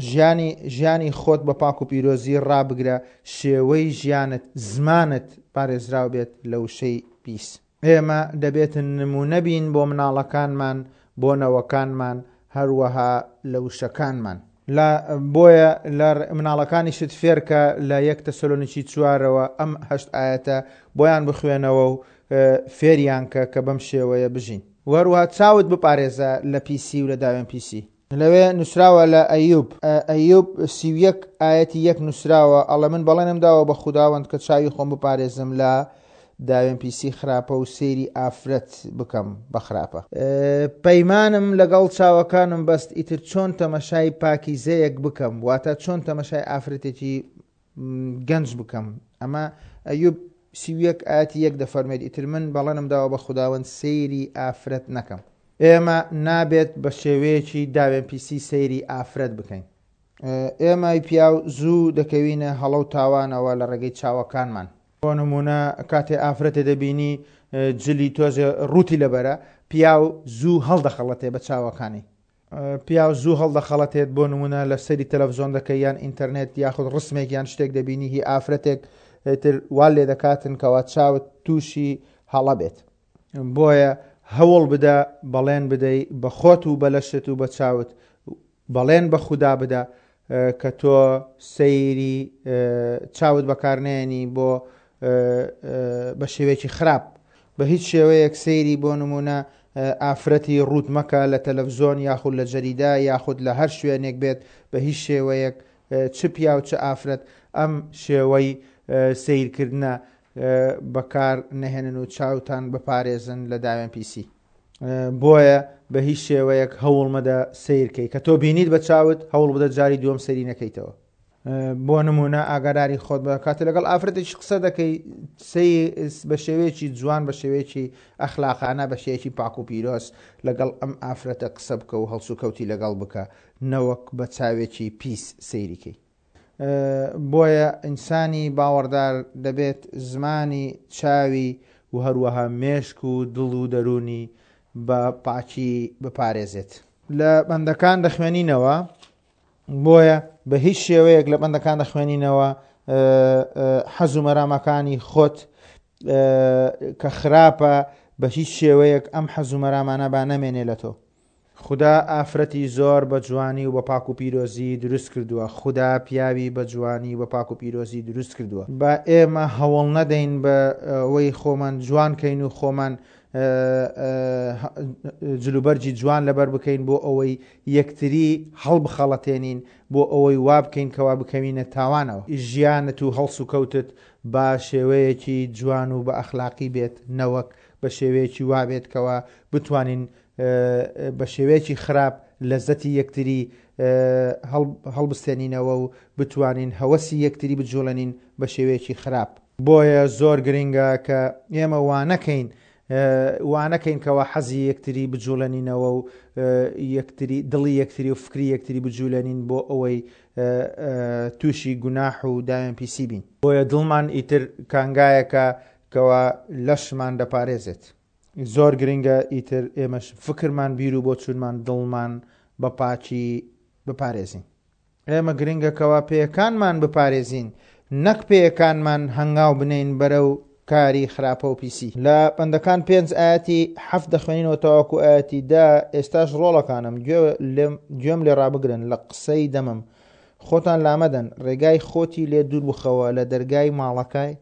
ژیانی ژیانی خۆت بە پاک و پیرۆزی ڕابگرە، شێوەی ژیانت، زمانت پارێزراو بێت لە وشەی پیس. ئێمە دەبێتن نموونە بین بۆ مناڵەکانمان، بۆ نەوەکانمان، هەروەها لە وشەکانمان. لە بۆیە لە مناڵەکانیشت فێرکە لە یەک تەسەلۆنیکی چوارەوە ئەم هەشت ئایەتە بۆیان بخوێنەوە و فێریان کە کە بەم شێوەیە بژین. وەروەها چاوت بپارێزە لە پیسی و لە داوێن پیسی. لەوێ نووسراوە لە ئەیوب، ئەیوب 31 ئایەتی یەک نووسراوە ئەڵێ من بەڵێنم داوە بە خوداوەند کە چاوی خۆم بپارێزم لە داوێن پیسی خراپە و سەیری ئافرەت بکەم بە خراپە. پەیمانم لەگەڵ چاوەکانم بەست ئیتر چۆن تەمەشای پاکیزەیەک بکەم واتە چۆن تەمەشای ئافرەتێکی گەنج بکەم ئەمە ئەیوب 31 ئاەتی یەک دەفەرمێت ئیتر من بەڵێنم داوە بە خوداوەند سەیری ئافرەت نەکەم. ئێمە نابێت بە شێوەیەکی داوێن پیسی سەیری ئافرەت بکەین. ئێمەی پیاو زوو دەکەوینە هەڵە و تاوانەوە لە ڕێگەی چاوەکانمان. بۆ نموونە کاتێ ئافرەتێ دەبینی جلی تۆزێ ڕووتی لەبەرە، پیاو زوو هەڵدەخەڵەتێ بە چاوەکانی. پیاو زوو هەڵدەخەڵەتێت بۆ نموونە لە سەیری تەلەفزۆن دەکەی یان ئینتەرنێت یاخود ڕسمێک یان شتێک دەبینی هی ئافرەتێک ئیتر وا لێ دەکاتن کەوا چاوت تووشی هەڵە بێت. بۆیە هەوڵ بدە بەڵێن بدەی بە خۆت و بە لەشت و بە چاوت بەڵێن بە خودا بدە کە تۆ سەیری چاوت بەکارنێنی بۆ بە شێوەیەکی خراپ بە هیچ شێوەیەک سەیری بۆ نمونە ئافرەتی ڕووت مەکە لە تەلەفزۆن یاخود لە جەریدە یاخود لە هەر شوێنێک بێت بە هیچ شێوەیەک چ پیاو چ ئافرەت ئەم شێوەی سەیرکردنە بەکار نەهێنن و چاوتان بپارێزن لە داوێن پیسی. بۆیە بە هیچ شێوەیەک هەوڵ مەدە سەیر کەی کە تۆ بینیت بە چاوت هەوڵ بدە جاری دووەم سەیری نەکەیتەوە. بۆ نمونە ئاگاداری خۆت بە کاتێ لەگەڵ ئافرەتێکی قسە دەکەی سەی بە شێوەیەکی جوان بە شێوەیەکی ئەخلاقانە بە شێوەیەکی پاک و پیرۆز لەگەڵ ئەم ئافرەتە قسە بکە و هەڵسوکەوتی لەگەڵ بکە نەوەک بە چاوێکی پیس سەیری کەی. بۆیە ئینسانی باوەڕدار دەبێت زمانی، چاوی و هەروەها مێشک و دڵ و دەروونی بە پاکی بپارێزێت. لە بەندەکان دەخوێنینەوە، بۆیە بە هیچ شێوەیەک لە بەندەکان دەخوێنینەوە حەز و مەرامەکانی خۆت کە خراپە بە هیچ شێوەیەک ئەم حەز و مەرامانە با نەمێنێ لە تۆ. خودا ئافرەتی زۆر بە جوانی و بە پاک و پیرۆزی دروست کردووە، خودا پیاوی بە جوانی و بە پاک و پیرۆزی دروست کردووە. با ئێمە هەوڵ نەدەین بە ئەوەی خۆمان جوان کەین و خۆمان جلوبەرگی جوان لەبەر بکەین بۆ ئەوەی یەکتری هەڵبخەڵەتێنین، بۆ ئەوەی وا بکەین کەوا بکەوینە تاوانەوە. ژیانت و هەڵسوکەوتت با شێوەیەکی جوان و بە ئەخلاقی بێت نەوەک بە شێوەیەکی وا بێت کەوا بتوانین بە شێوەیەکی خراپ لەزەتی یەکتری هەڵبستێنینەوە و بتوانین هەوەسی یەکتری بجوڵێنین بە شێوەیەکی خراپ. بۆیە زۆر گرنگە کە ئێمە وانەکەین وانەکەین کەوا حەزی یەکتری بجوڵێنینەوە و یەکتری دڵی یەکتری و فکری یەکتری بجولێنین بۆ ئەوەی تووشی گوناح و داوێن پیسی بین. بۆیە دڵمان ئیتر کانگایەکە کەوا لەشمان دەپارێزێت. زۆر گرنگە ئیتر ئێمەش فکرمان بیر و بۆچوونمان دڵمان بە پاکی بپارێزین. ئێمە گرنگە کەوا پێیەکانمان بپارێزین نەک پێیەکانمان هەنگاو بنێین بەرەو کاری خراپە و پیسی. لە بەندەکان پێنج ئایەتی حەفت دەخوێنینەوە تاوەکو ئایەتی دە، ئێستاش ڕۆڵەکانم گوێ لێم گوێم لێ ڕابگرن لە قسەی دەمم خۆتان لامەدەن ڕێگای خۆتی لێ دوور بخەوە لە دەرگای ماڵەکای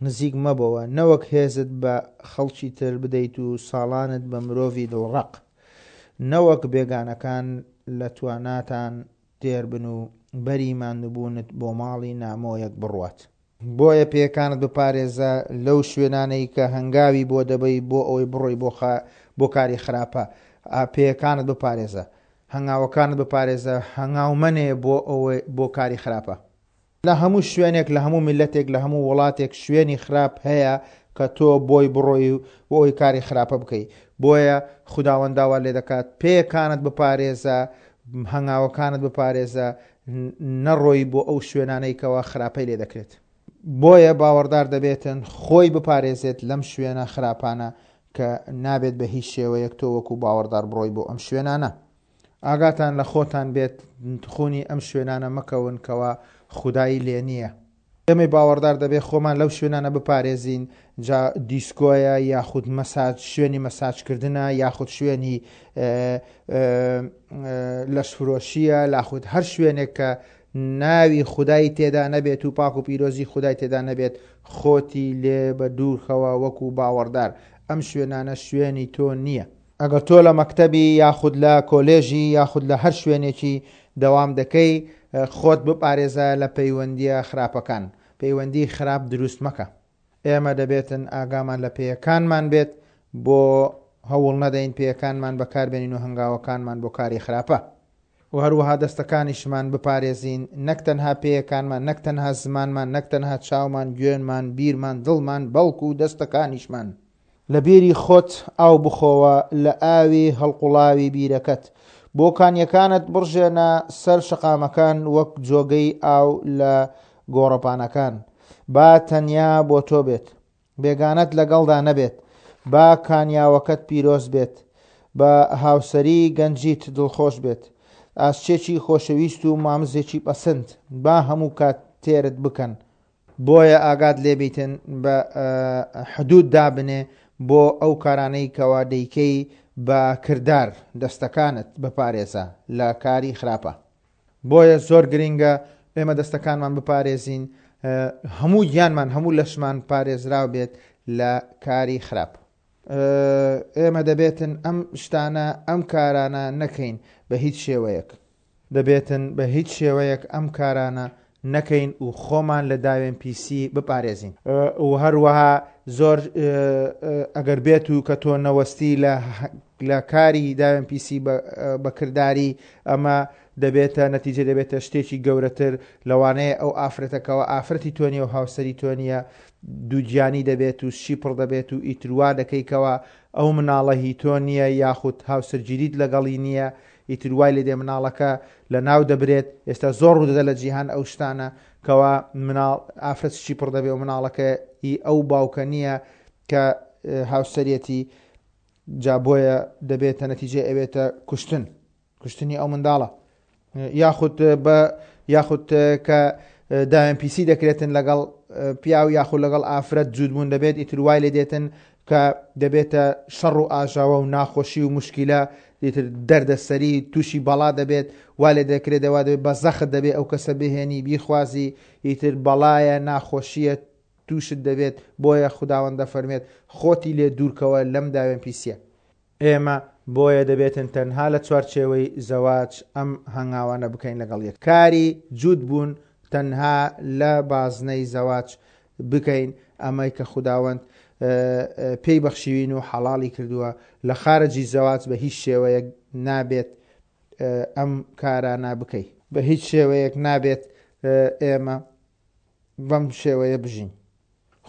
نزیک مەبەوە، نەوەک هێزت بە خەڵکی تر بدەیت و ساڵانت بە مرۆڤی دڵڕەق. نەوەک بێگانەکان لە تواناتان تێر بن و بەری ماندووبوونت بۆ ماڵی نامۆیەک بڕوات. بۆیە پێیەکانت بپارێزە لەو شوێنانەی کە هەنگاوی بۆ دەبەی بۆ ئەوەی بڕۆی بۆ بۆ کاری خراپە. پێیەکانت بپارێزە. هەنگاوەکانت بپارێزە، هەنگاو مەنێ بۆ ئەوەی بۆ کاری خراپە. لە هەموو شوێنێک لە هەموو میللەتێک لە هەموو وڵاتێک شوێنی خراپ هەیە کە تۆ بۆی بڕۆی و بۆ ئەوی کاری خراپە بکەی بۆیە خوداوەند داوات لێ دەکات پێیەکانت بپارێزە هەنگاوەکانت بپارێزە نەڕۆی بۆ ئەو شوێنانەی کەوا خراپەی لێ دەکرێت بۆیە باوەڕدار دەبێتن خۆی بپارێزێت لەم شوێنە خراپانە کە نابێت بە هیچ شێوەیەک تۆ وەکو باوەڕدار بڕۆی بۆ ئەم شوێنانە. ئاگاتان لە خۆتان بێت تخونی ئەم شوێنانە مەکەون کەوا خودای لێ نییە. ئێمەی باوەڕدار دەبێت خۆمان لەو شوێنانە بپارێزین جا دیسکۆیە یاخود مەساج شوێنی مەساجکردنە یاخود شوێنی لەشفرۆشیە لاخود هەر شوێنێک کە ناوی خودای تێدا نەبێت و پاک و پیرۆزی خودای تێدا نەبێت خۆتی لێ بە دوورخەوە وەکو باوەڕدار ئەم شوێنانە شوێنی تۆ نییە. ئەگەر تۆ لە مەکتەبی یاخود لە کۆلێژی یاخود لە هەر شوێنێکی دەوام دەکەی خۆت بپارێزە لە پەیوەندیە خراپەکان پەیوەندی خراپ دروست مەکە. ئێمە دەبێتن ئاگامان لە پێیەکانمان بێت بۆ هەوڵ نەدەین پێیەکانمان بەکاربێنین و هەنگاوەکانمان بۆ کاری خراپە و هەروەها دەستەکانیشمان بپارێزین نەک تەنها پێیەکانمان نەک تەنها زمانمان نەک تەنها چاومان گوێنمان بیرمان دڵمان بەڵکو دەستەکانیشمان. لە بیری خۆت ئاو بخۆوە، لە ئاوی هەڵقوڵاوی بیرەکەت. بۆ کانییەکانت بڕژێنە سەر شەقامەکان وەک جۆگەی ئاو لە گۆڕەپانەکان. با تەنیا بۆ تۆ بێت، بێگانەت لەگەڵدا نەبێت. با کانیاوەکەت پیرۆز بێت، بە هاوسەری گەنجیت دڵخۆش بێت. ئاسچێکی خۆشەویست و مامزێکی پەسند، با هەموو کات تێرت بکەن. بۆیە ئاگات لێ بیتن بە حدود دابنێ بۆ ئەو کارانەی کەوا دەیکەی بە کردار دەستەکانت بپارێزە لە کاری خراپە. بۆیە زۆر گرینگە ئێمە دەستەکانمان بپارێزین هەموو گیانمان هەموو لەشمان پارێزراو بێت لە کاری خراپ. ئێمە دەبێتن ئەم شتانە ئەم کارانە نەکەین بە هیچ شێوەیەک. دەبێتن بە هیچ شێوەیەک ئەم کارانە نەکەین و خۆمان لە داوێن پیسی بپارێزین. و هەروەها زۆر ئەگەر بێت و کە تۆ نەوەستی لە لە کاری داوێن پیسی بە کرداری ئەمە دەبێتە نەتیجە دەبێتە شتێکی گەورەتر لەوانەیە ئەو ئافرەتەکەەوە ئافرەتی تۆ نیە و هاوسەری تۆ نیە دووگیانی دەبێت و شی پڕ دەبێت و ئیتر وا دەکەی کەوا ئەو مناڵە هی تۆ نییە یاخود هاوسەرگیریت لەگەڵی نییە ئیتر وای لێدێ مناڵەکە لە ناو دەبرێت ئێستا زۆر ڕوودەدە لە جیهان ئەو شتانە کەوا مناڵ ئافرەت شی پڕ دەبێ و مناڵەکە هی ئەو باوکە نییە کە هاوسەرەتی جا بۆیە دەبێتە نەتیجەی ئەوێتە کوشتن. کوشتنی ئەو منداڵە یاخود بە یاخود کە داوێن پیسی دەکرێتن لەگەڵ پیاو یاخود لەگەڵ ئافرەت جوودبوون دەبێت ئیتر وای لێ دێتن کە دەبێتە شەڕ و ئاژاوە و ناخۆشی و مشکلە ئیتر دەردەسەری تووشی بەڵا دەبێت وا لێ دەکرێت دەوا دەبێت بە زەخت دەبێت ئەو کەسە بهێنی بیخوازی ئیتر بەڵایە ناخۆشیە تووشت دەبێت بۆیە خوداوەند دەفەرمێت خۆتی لێ دوورکەوە لەم داوێن پیسیە. ئێمە بۆیە دەبێتن تەنها لە چوارچێوەی زەواج ئەم هەنگاوانە بکەین لەگەڵ یەک کاری جووت بوون تەنها لە بازنەی زەواج بکەین ئەمەی کە خوداوەند پێی بەخشیوین و حەڵاڵی کردووە لە خارجی زەواج بە هیچ شێوەیەک نابێت ئەم کارانە بکەی. بە هیچ شێوەیەک نابێت ئێمە بەم شێوەیە بژین.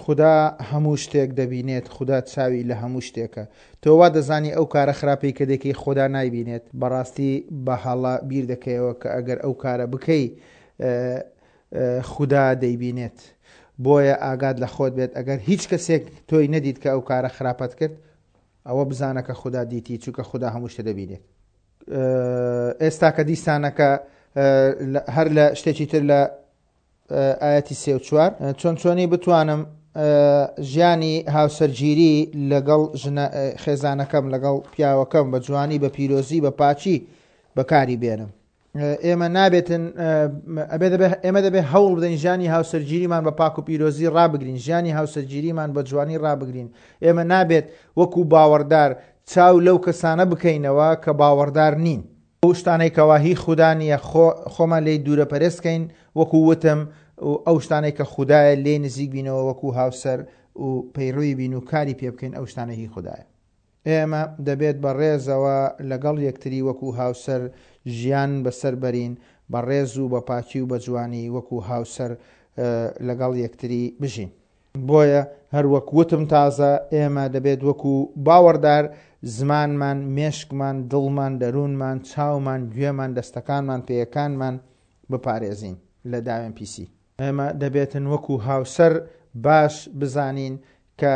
خودا هەموو شتێک دەبینێت، خودا چاوی لە هەموو شتێکە. تۆ وا دەزانی ئەو کارە خراپەی کە دەیکەی خودا نایبینێت؟ بەڕاستی بە هەڵە بیر دەکەیەوە کە ئەگەر ئەو کارە بکەی خودا دەیبینێت. بۆیە ئاگات لە خۆت بێت ئەگەر هیچ کەسێک تۆی نەدیت کە ئەو کارە خراپەت کرد ئەوە بزانە کە خودا دیتی چونکە خودا هەموو شتێ دەبینێت. ئێستا کە دیسانەکە هەر لە شتێکی تر لە ئایەتی سێ و چوار، چۆن چۆنی بتوانم ژیانی هاوسەرگیری لەگەڵ ژنە خێزانەکەم لەگەڵ پیاوەکەم بە جوانی بە پیرۆزی بە پاکی بەکاری بێنم؟ ئێمە نابێتن ئەبێ دەبێ ئێمە دەبێ هەوڵ بدەین ژیانی هاوسەرگیریمان بە پاک و پیرۆزی ڕابگرین ژیانی هاوسەرگیریمان بە جوانی ڕابگرین ئێمە نابێت وەکو باوەڕدار چاو لەو کەسانە بکەینەوە کە باوەڕدار نین ئەو شتانەی کەوا هی خودا نییە خۆ خۆمان لێی دوورە پەرێز کەین وەکو وتم و ئەو شتانەی کە خودایە لێی نزیک بینەوە وەکو هاوسەر و پەیڕەوی بین و کاری پێ بکەین ئەو شتانە هی خودایە. ئێمە دەبێت بە ڕێزەوە لەگەڵ یەکتری وەکو هاوسەر ژیان بەسەر بەرین بە ڕێز و بە پاکی و بە جوانی وەکو هاوسەر لەگەڵ یەکتری بژین. بۆیە هەروەک وتم تازە ئێمە دەبێت وەکو باوەڕدار زمانمان، مێشکمان، دڵمان، دەروونمان، چاومان، گوێمان، دەستەکانمان، پێیەکانمان بپارێزین لە داوێن پیسی. ئێمە دەبێتن وەکو هاوسەر باش بزانین کە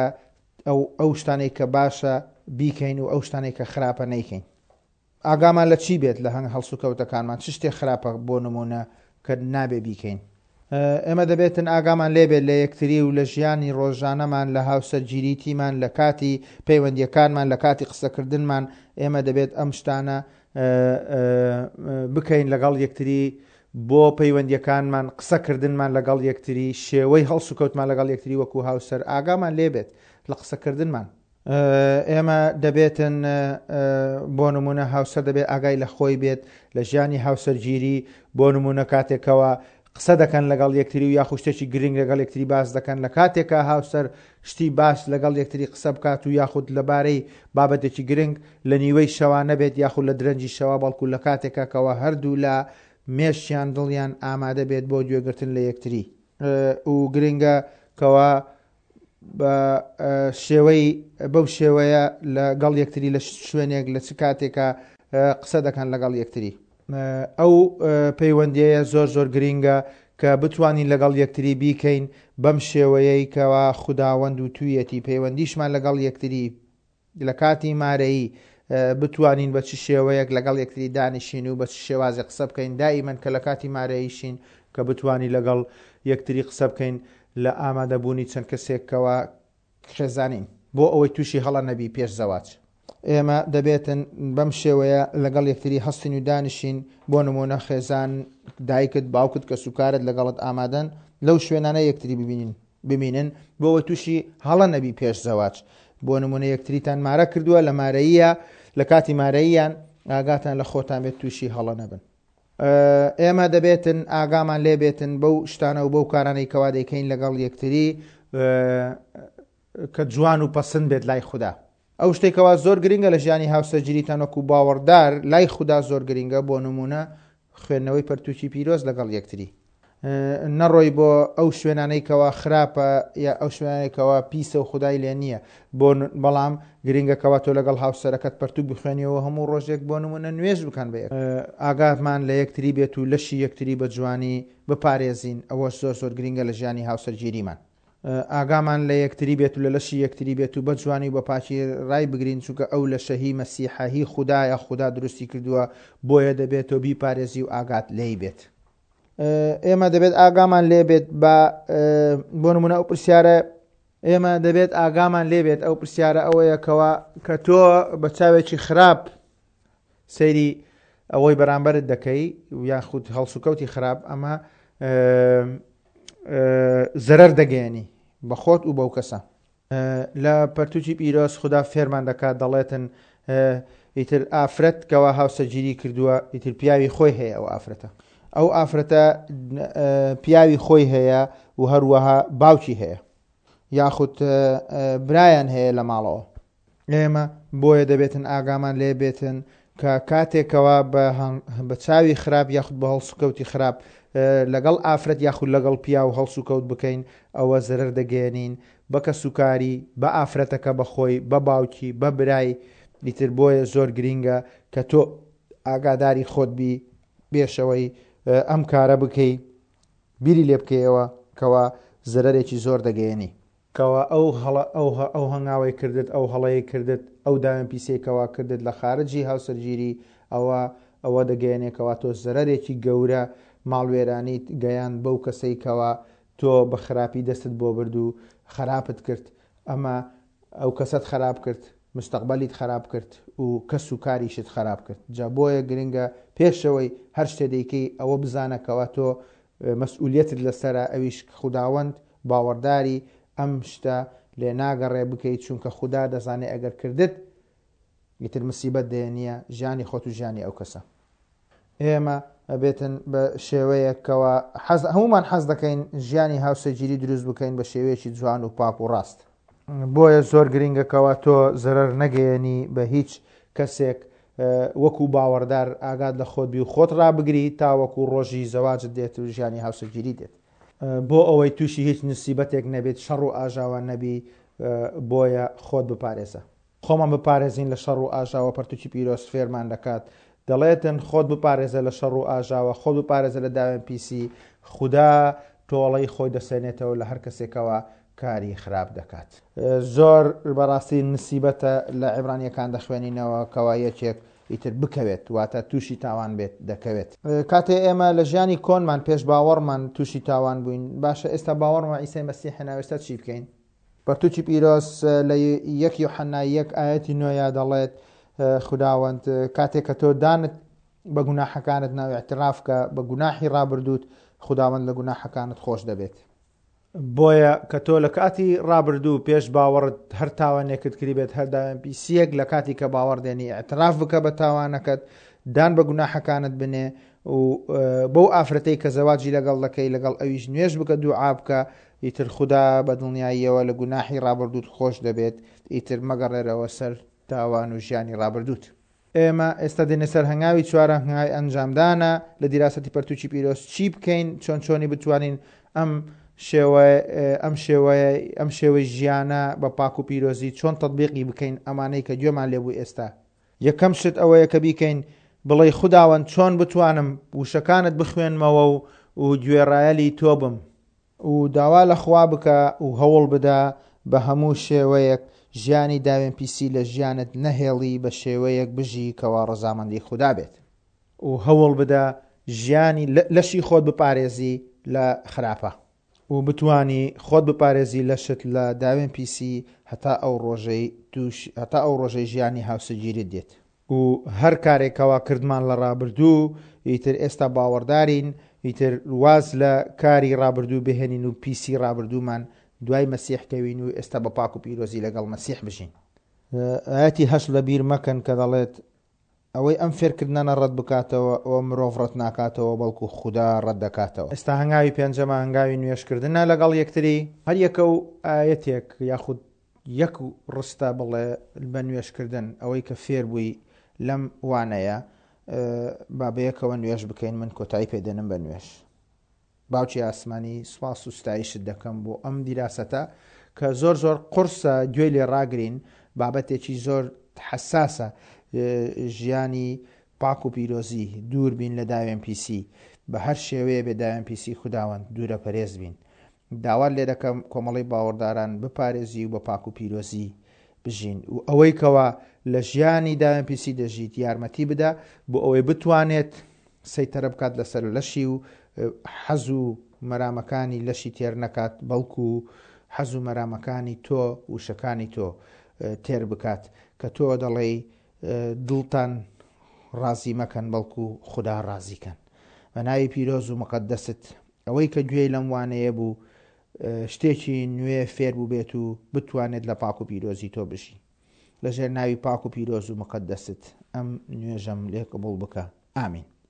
ئەو ئەو شتانەی کە باشە بیکەین و ئەو شتانەی کە خراپە نەیکەین. ئاگامان لە چی بێت لە هەنگ هەڵسوکەوتەکانمان، چ شتێک خراپە بۆ نموونە کە نابێ بیکەین. ئێمە دەبێتن ئاگامان لێ بێت لە یەکتری و لە ژیانی ڕۆژانەمان، لە هاوسەرگیریتیمان، لە کاتی پەیوەندیەکانمان، لە کاتی قسەکردنمان، ئێمە دەبێت ئەم شتانە بکەین لەگەڵ یەکتری بۆ پەیوەندیەکانمان، قسەکردنمان لەگەڵ یەکتری، شێوەی هەڵسوکەوتمان لەگەڵ یەکتری وەکو هاوسەر، ئاگامان لێ بێت لە قسەکردنمان. ئێمە دەبێتن بۆ نمونە هاوسەر دەبێت ئاگای لە خۆی بێت لە ژیانی هاوسەرگیری بۆ نمونە کاتێکەوە قسە دەکەن لەگەڵ یەکتری و یاخو شتێکی گرنگ لەگەڵ یەکتری باس دەکەن لە کاتێکا هاوسەر شتی باش لەگەڵ یەکتری قسە بکات و یاخود لەبارەی بابەتێکی گرنگ لە نیوەی شەوا نەبێت یاخود لە درەنگی شەوا بەڵکو لە کاتێکا کەوا هەردوو لا مێشکیان دڵیان ئامادە بێت بۆ گوێگرتن لە یەکتری و گرنگە کەوا بە شێوەی بەو شێوەیە لە گەڵ یەکتری لە شوێنێک لە چ کاتێکا قسە دەکەن لەگەڵ یەکتری. ئەو پەیوەندیەیە زۆر زۆر گرینگە کە بتوانین لەگەڵ یەکتری بیکەین بەم شێوەیەی کەوا خوداوەند وتویەتی پەیوەندیشمان لەگەڵ یەکتری لە کاتی مارەیی بتوانین بە چ شێوەیەک لەگەڵ یەکتری دانیشین و بە چ شێوازێک قسە بکەین دائیمەن کە لە کاتی مارەییشین کە بتوانی لەگەڵ یەکتری قسە بکەین لە ئامادەبوونی چەند کەسێک کەوا خێزانین بۆ ئەوەی تووشی هەڵە نەبی پێش زەواج. ئێمە دەبێتن بەم شێوەیە لەگەڵ یەکتری هەستین و دانیشین بۆ نموونە خێزان دایکت باوکت کەسوکارت لەگەڵت ئامادەن لەو شوێنانە یەکتری ببینین بمینن بۆ ئەوەی تووشی هەڵە نەبی پێش زەواج بۆ نمونە یەکتریتان مارە کردووە لە مارەییە لە کاتی مارەییان ئاگاتان لە خۆتان بێت تووشی هەڵە نەبن ئێمە دەبێتن ئاگامان لێ بێتن بەو شتانە و بەو کارانەی کەوا دەیکەین لەگەڵ یەکتری کە جوان و پەسند بێت لای خودا ئەو شتێک کەوا زۆر گرنگە لە ژیانی هاوسەرگیریتان وەکو باوەڕدار لای خودا زۆر گرنگە بۆ نمونە خوێندنەوەی پەرتوکی پیرۆز لەگەڵ یەکتری نەڕۆی بۆ ئەو شوێنانەی کەوا خراپە یا ئەو شوێنانەی کەوا پیسە و خودای لێ نییە بۆ بەڵام گرنگە کەوا تۆ لەگەڵ هاوسەرەکەت پەرتوک بخوێنیەوە هەموو ڕۆژێک بۆ نمونە نوێژ بکەن بە یەک ئاگاتمان لە یەکتری بێت و لەشی یەکتری بە جوانی بپارێزین ئەوەش زۆر زۆر گرنگە لە ژیانی هاوسەرگیریمان. ئاگامان لە یەکتری بێت و لە لەشی یەکتری بێت و بە جوانی و بە پاکی ڕای بگرین چونکە ئەو لەشە هی مەسیحە هی خودایە خودا دروستی کردووە بۆیە دەبێت تۆ بیپارێزی و ئاگات لێی بێت. ئێمە دەبێت ئاگامان لێ بێت بە بۆ نمونە ئەو پرسیارە ئێمە دەبێت ئاگامان لێ بێت ئەو پرسیارە ئەوەیە کەوا کە تۆ بە چاوێکی خراپ سەیری ئەوەی بەرامبەرت دەکەی یاخود هەڵسوکەوتی خراپ ئەمە زەرەر دەگەیەنی بە خۆت و بەو کەسە. لە پەرتوکی پیرۆز خودا فێرمان دەکات دەڵێتن ئیتر ئافرەت کەوا هاوسەرگیری کردووە ئیتر پیاوی خۆی هەیە ئەو ئافرەتە ئەو ئافرەتە پیاوی خۆی هەیە و هەروەها باوکی هەیە یاخود برایان هەیە لە ماڵەوە ئێمە بۆیە دەبێتن ئاگامان لێ بێتن کە کاتێکەوە بە چاوی خراپ یاخود بە هەڵسوکەوتی خراپ لەگەڵ ئافرەت یاخود لەگەڵ پیاو هەڵسوکەوت بکەین ئەوە زەرەر دەگەیەنین بە کەسوکاری بە ئافرەتەکە بەخۆی بە باوکی بە برای ئیتر بۆیە زۆر گرینگە کە تۆ ئاگاداری خۆت بی پێشەوەی ئەم کارە بکەی بیری لێ بکەیەوە کەوا زەرەرێکی زۆر دەگەیەنی. کەوا ئەو هەڵە ئەو ئەو هەنگاوەی کردت ئەو هەڵەی کردت ئەو داوێن پیسەی کەوا کردت لە خارجی هاوسەرگیری ئەوە ئەوە دەگەیەنێ کەوا تۆ زەرەرێکی گەورە ماڵوێرانیت گەیاند بەو کەسەی کەوا تۆ بە خراپی دەستت بۆ برد و خراپت کرد ئەمە ئەو کەسەت خراپ کرد مستەقبەلیت خراپ کرد و کەس و کاریشت خراپ کرد جا بۆیە گرنگە پێشەوەی هەر شتێ دەیکەی ئەوە بزانە کەوا تۆ مەسئولیەتت لەسەرە ئەویش خوداوەند باوەڕداری ئەم شتە لێ ناگەڕێ بکەی چونکە خودا دەزانێ ئەگەر کردت ئیتر مسیبەت دەیەنیە ژیانی خۆت و ژیانی ئەو کەسە. ئێمە ئەبێتن بە شێوەیەک کەوا حەز هەموومان حەز دەکەین ژیانی هاوسەرگیری دروست بکەین بە شێوەیەکی جوان و پاک و ڕاست. بۆیە زۆر گرینگە کەوا تۆ زەرەر نەگەیەنی بە هیچ کەسێک وەکو باوەڕدار ئاگات لە خۆت بی و خۆت ڕابگری تاوەکو ڕۆژی زەواجت دێت و ژیانی هاوسەرگیری دێت. بۆ ئەوەی تووشی هیچ نسیبەتێک نەبیت شەڕ و ئاژاوە نەبی بۆیە خۆت بپارێزە. خۆمان بپارێزین لە شەڕ و ئاژاوە پەرتوکی پیرۆز فێرمان دەکات دەڵێتن خۆت بپارێزە لە شەڕ و ئاژاوە خۆت بپارێزە لە داوێن پیسی خودا تۆڵەی خۆی دەسێنێتەوە لە هەر کەسێکەوە کاری خراپ دەکات. زۆر بەڕاستی نسیبەتە لە عیبرانیەکان دەخوێنینەوە کەوا یەکێک. ئیتر بکەوێت، واتە تووشی تاوان بێت دەکەوێت. کاتێ ئێمە لە ژیانی کۆنمان پێش باوەڕمان تووشی تاوان بووین، باشە ئێستا باوەڕمان عیسای مەسیح هێنا ئێستا چی بکەین؟ پەرتوکی پیرۆز لە یەک یۆحەنا یەک ئایەتی نۆیا دەڵێت خوداوەند کاتێک کە تۆ دانت بە گوناحەکانت ناو اعتراف کە بە گوناحی ڕابردووت خوداوەند لە گوناحەکانت خۆش دەبێت. بۆیە کە تۆ لە کاتی ڕابردوو پێش باوەڕت هەر تاوانێکت کریبێت هەر داوێن پیسیەک لە کاتی کە باوەڕ دێنی اعتراف بکە بە تاوانەکەت دان بە گوناحەکانت بنێ و بەو ئافرەتەی کە زەواجی لەگەڵ دەکەی لەگەڵ ئەویش نوێژ بکە دوعا بکە ئیتر خودا بە دڵنیاییەوە لە گوناحی ڕابردووت خۆش دەبێت ئیتر مەگەڕێرەوە سەر تاوان و ژیانی ڕابردووت. ئێمە ئێستا دێنە سەر هەنگاوی چوارەم، هەنگاوی ئەنجامدانە لە دیراسەتی پەرتوکی پیرۆز چی بکەین، چۆن چۆنی بتوانین ئەم شێوە ئەم شێوەیە ئەم شێوەی ژیانە بە پاک و پیرۆزی چۆن تەتبیقی بکەین ئەمانەی کە گوێمان لێبوو ئێستا. یەکەم شت ئەوەیە کە بیکەین بڵێی خوداوەند چۆن بتوانم وشەکانت بخوێنمەوە و و گوێڕایەلی تۆ بم. و داوا لە خوا بکە و هەوڵ بدە بە هەموو شێوەیەک ژیانی داوێن پیسی لە ژیانت نەهێڵی بە شێوەیەک بژی کەوا ڕەزامەندی خودا بێت. و هەوڵ بدە ژیانی لەشی خۆت بپارێزی لە خراپە. و بتوانی خۆت بپارێزی لەشت لە داوێن پیسی هەتا ئەو ڕۆژەی توش هەتا ئەو ڕۆژەی ژیانی هاوسەگیریت دێت. و هەر کارێک کەوا کردمان لە ڕابردوو ئیتر ئێستا باوەڕدارین ئیتر واز لە کاری ڕابردوو بهێنین و پیسی ڕابردوومان دوای مەسیح کەوین و ئێستا بە پاک و پیرۆزی لەگەڵ مەسیح بژین. ئایەتی هەشت لەبیر مەکەن کە دەڵێت، ئەوەی ئەم فێرکردنانە ڕەت بکاتەوە ئەوە مرۆڤ ڕەت ناکاتەوە بەڵکو خودا ڕەت دەکاتەوە. ئێستا هەنگاوی پێنجەمە هەنگاوی نوێژکردنە لەگەڵ یەکتری. هەر یەکە و ئایەتێک یاخود یەک ڕستە بڵێ بە نوێژکردن ئەوەی کە فێر بووی لەم وانەیە با بەیەکەوە نوێژ بکەین من کۆتایی پێ دێنم بە نوێژ. باوکی ئاسمانی سوپاس و ستایشت دەکەم بۆ ئەم دیراسەتە کە زۆر زۆر قورسە گوێی لێ ڕاگرین بابەتێکی زۆر حەساسە ژیانی پاک و پیرۆزی دوور بین لە داوێن پیسی بە هەر شێوەیە بێ داوێن پیسی خوداوەند دوورە پەرێز بین داوات لێ دەکەم کۆمەڵەی باوەڕداران بپارێزی و بە پاک و پیرۆزی بژین و ئەوەی کەوا لە ژیانی داوێن پیسی دەژیت یارمەتی بدە بۆ ئەوەی بتوانێت سەیتەرە بکات لەسەر لەشی و حەز و مەرامەکانی لەشی تێر نەکات بەڵکو حەز و مەرامەکانی تۆ وشەکانی تۆ تێر بکات کە تۆ دەڵێی دڵتان ڕازی مەکەن بەڵکو خودا ڕازی کەن بە ناوی پیرۆز و مقدست ئەوەی کە گوێی لەم وانەیە بوو شتێکی نوێ فێر بووبێت و بتوانێت لە پاک و پیرۆزی تۆ بژی لەژێر ناوی پاک و پیرۆز و مقدست ئەم نوێژەم لێ قبوڵ بکە ئامین.